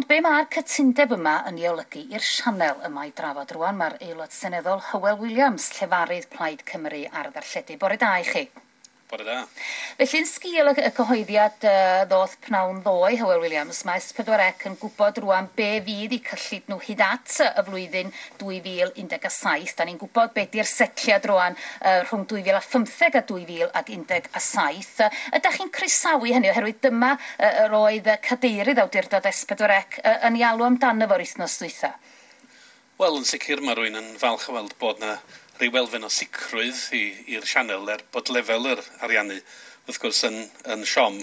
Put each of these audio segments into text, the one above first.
Ond be mae'r cytundeb yma yn ei olygu i'r sianel yma i drafod rwan? Mae'r Aelod Seneddol Hywel Williams, llefarydd Plaid Cymru ar ddarlledu. Bore da i chi. Bore da. Felly, yn sgil y cyhoeddiad ddoth pnawn ddoe, Hywel Williams, mae S4C yn gwybod rwan be fydd eu cyllid nhw hyd at y flwyddyn 2017. Da ni'n gwybod be di'r setliad rwan rhwng 2015 a 2017. Ydych chi'n croesawu hynny, oherwydd dyma yr oedd cadeirydd awdurdod S4C yn ei alw amdano fo'r wythnos dwytha? Wel, yn sicr mae rhywun yn falch o weld bod na rhyw elfen o sicrwydd i'r sianel, er bod lefel yr ariannu wrth gwrs yn siom.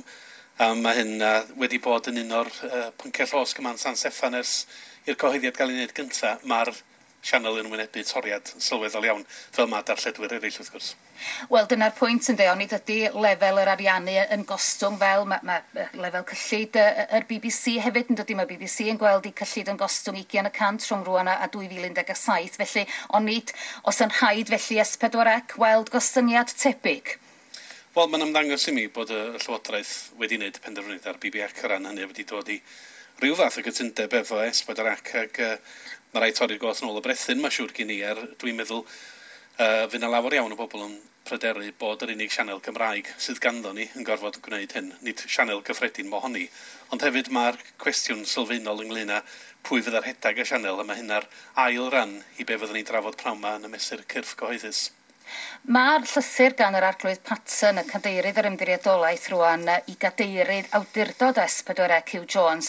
A mae hyn wedi bod yn un o'r pynciau llosg yma yn San Steffan ers i'r cyhoeddiad gael ei wneud gyntaf. Mae'r sianel yn wynebu toriad sylweddol iawn, fel mae darlledwyr eraill wrth gwrs. Wel, dyna'r pwynt yn onid ydy lefel yr ariannu yn gostwng fel mae lefel cyllid yr BBC hefyd yn dydy? Mae BBC yn gweld eu cyllid yn gostwng 20% rhwng rwan a 2017, felly onid os yn rhaid felly S4C weld gostyngiad tebyg? Wel, mae'n ymddangos i mi bod y Llywodraeth wedi wneud penderfyniad ar BBC o ran hynny, wedi dod i rhyw fath o gytundeb efo S4C, ac mae rhaid torri'r gôt nôl y brethyn, mae siŵr gen i, er dwi'n meddwl fydd yna lawer iawn o bobl yn pryderu bod yr unig sianel Gymraeg sydd ganddo ni yn gorfod gwneud hyn, nid sianel gyffredin mohoni. Ond hefyd mae'r cwestiwn sylfaenol ynglyn â pwy fydd ar rhedeg y sianel, a mae hynna'r ail ran i be fyddwn ni'n drafod pnawn 'ma yn y mesur cyrff cyhoeddus. Mae'r llythyr gan yr Arglwydd Paton, y cadeirydd yr ymddiriedolaeth rwan, i gadeirydd awdurdod S4C Hugh Jones,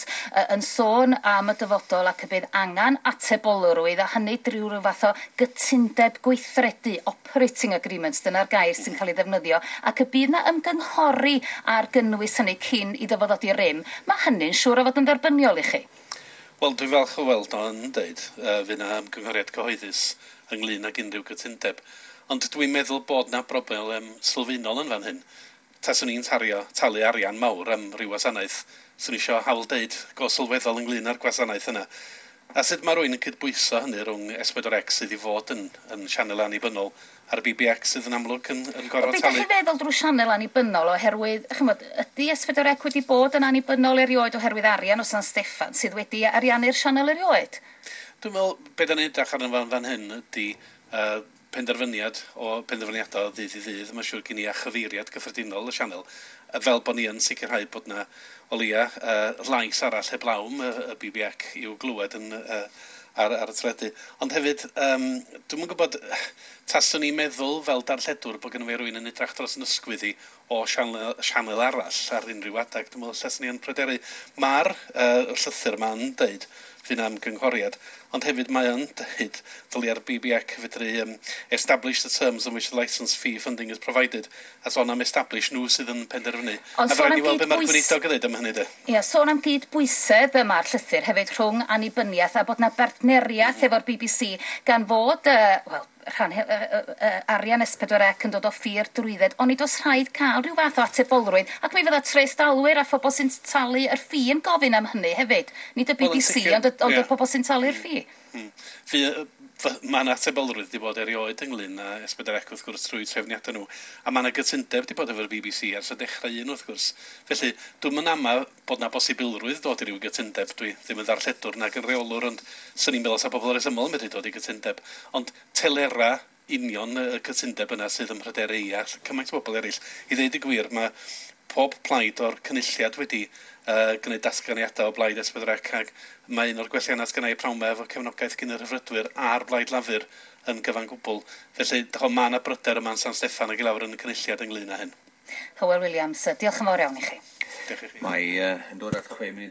yn sôn am y dyfodol ac y bydd angen atebolrwydd, a hynny drwy rhyw fath o gytundeb gweithredu, operating agreement, dyna'r gair sy'n cael ei ddefnyddio, ac y bydd na ymgynghori ar gynnwys hynny cyn iddo fo ddod i rym. Mae hynny'n siŵr o fod yn dderbyniol i chi? Wel, dwi'n falch o weld o'n dweud fydd na ymgynghoriad cyhoeddus ynglyn ag unrhyw gytundeb. Ond dwi'n meddwl bod na broblem sylfaenol yn fan hyn. Taswn i'n talu arian mawr am ryw wasanaeth, swn i eisiau hawl deud go sylweddol ynglyn â'r gwasanaeth yna. A sut mae rhywun yn cydbwyso hynny rhwng S4C sydd i fod yn sianel annibynnol a'r BBC sydd yn amlwg yn gorfod talu? Be ydych chi'n feddwl drwy sianel annibynnol, oherwydd, chymod, ydy S4C wedi bod yn annibynnol erioed, oherwydd arian o San Steffan sydd wedi ariannu'r sianel erioed? Dwi'n meddwl, be da ni'n edrych arno fan hyn ydy penderfyniadau o ddydd i ddydd, mae'n siŵr gen i, a chyfeiriad gyffredinol y sianel, fel bod ni yn sicrhau bod na o leia lais arall heblawm y BBC i'w glywed yn ar y teledu. Ond hefyd, dwi'm yn gwybod, taswn i'n meddwl fel darlledwr bod gennym fi rywun yn edrych dros yn ysgwydd i o sianel arall ar unrhyw adeg. Dwi'n meddwl taswn i yn pryderu. Mae'r llythyr ma'n deud fydd am gynghoriad, ond hefyd mae yn dweud dylia'r BBC fedru establish the terms on which the licence fee funding is provided, a sôn am establish, nhw sydd yn penderfynu. Ond a sôn rhaid am ni weld be mae'r gweinidog yn dweud am hynny de. Ie, sôn am gydbwysedd yma'r llythyr hefyd rhwng annibyniaeth a bod na bartneriaeth efo'r BBC, gan fod, wel, rhan arian S4C yn dod o ffi'r drwydded, ond oes rhaid cael rhyw fath o atebolrwydd, ac mi fydda trethdalwyr a phobl sy'n talu yr ffi yn gofyn am hynny hefyd. Nid y Wel, yn BBC, sicr, ond y ie. pobl sy'n talu'r ffi. Mae yna atebolrwydd wedi bod erioed ynglyn â S4C wrth gwrs trwy trefniadau nhw. A mae yna gytundeb wedi bod efo'r BBC ers y dechrau un wrth gwrs. Felly, dwi'm yn ama bod na bosibilrwydd dod i ryw gytundeb. Dwi ddim yn ddarlledwr nag yn reolwr, ond swn i'n meddwl sa bobl resymol yn medru dod i gytundeb. Ond telera union y cytundeb yna sydd yn pryderu i a cymaint o bobl eraill. I ddeud y gwir, mae pob plaid o'r cynulliad wedi gwneud datganiadau o blaid S4C, ac mae un o'r gwelliannau sgynna i pnawn 'ma efo cefnogaeth gyn y Rhyddfrydwyr a'r Blaid Lafur yn gyfan gwbl. Felly, mae yna bryder yma yn San Steffan ac i lawr yn y cynulliad ynglyn â hyn. Hywel Williams, diolch yn fawr iawn i chi. Diolch i chi. Mae yn dod at 6 munud.